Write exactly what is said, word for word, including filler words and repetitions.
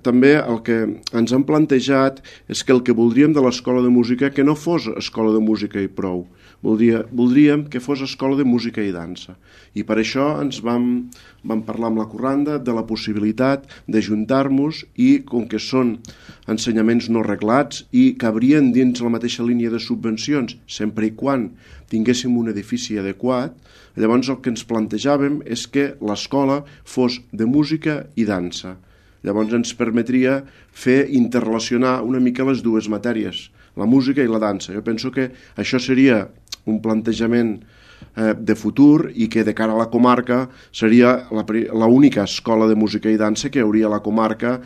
també el que ens han plantejat és que el que voldríem de l'escola de música que no fos escola de música i prou. Voldria, voldríem que fos escola de música i dansa. I per això ens vam, vam parlar amb la Corranda de la possibilitat d'ajuntar-nos i, com que són ensenyaments no reglats i cabrien dins la mateixa línia de subvencions, sempre i quan tinguéssim un edifici adequat, llavors el que ens plantejàvem és que l'escola fos de música i dansa. Llavors ens permetria fer interrelacionar una mica les dues matèries, la música i la dansa. Jo penso que això seria un plantejament eh, de futur i que de cara a la comarca seria l'única escola de música i dansa que hi hauria a la comarca